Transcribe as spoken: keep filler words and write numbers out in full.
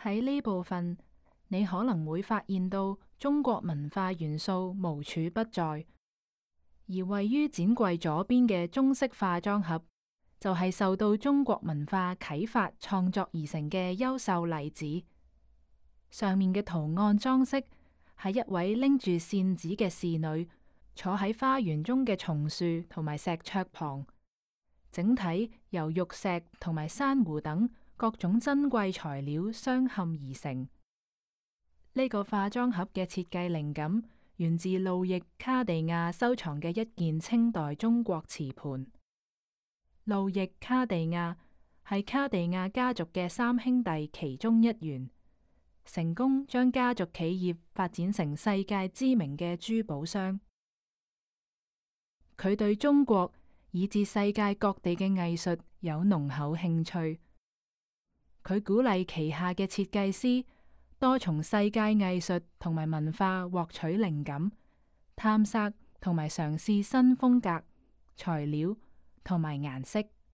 喺呢部分，你可能會發現到中國文化元素無處不在，而位於展櫃左邊嘅中式化妝盒，就係受到中國文化啟發創作而成嘅優秀例子。上面嘅圖案裝飾係一位拎住扇子嘅侍女坐喺花園中嘅松樹同埋石桌旁，整體由玉石同埋珊瑚等各種珍貴材料相嵌而成。呢個化妝盒嘅設計靈感源自路易卡地亞收藏嘅一件清代中國瓷盤。路易卡地亞係卡地亞家族嘅三兄弟其中一員，成功將家族企業發展成世界知名嘅珠寶商。佢對中國以至世界各地嘅藝術有濃厚興趣。佢鼓勵旗下嘅設計師多從世界藝術同埋文化獲取靈感，探索同埋嘗試新風格、材料同埋顏色。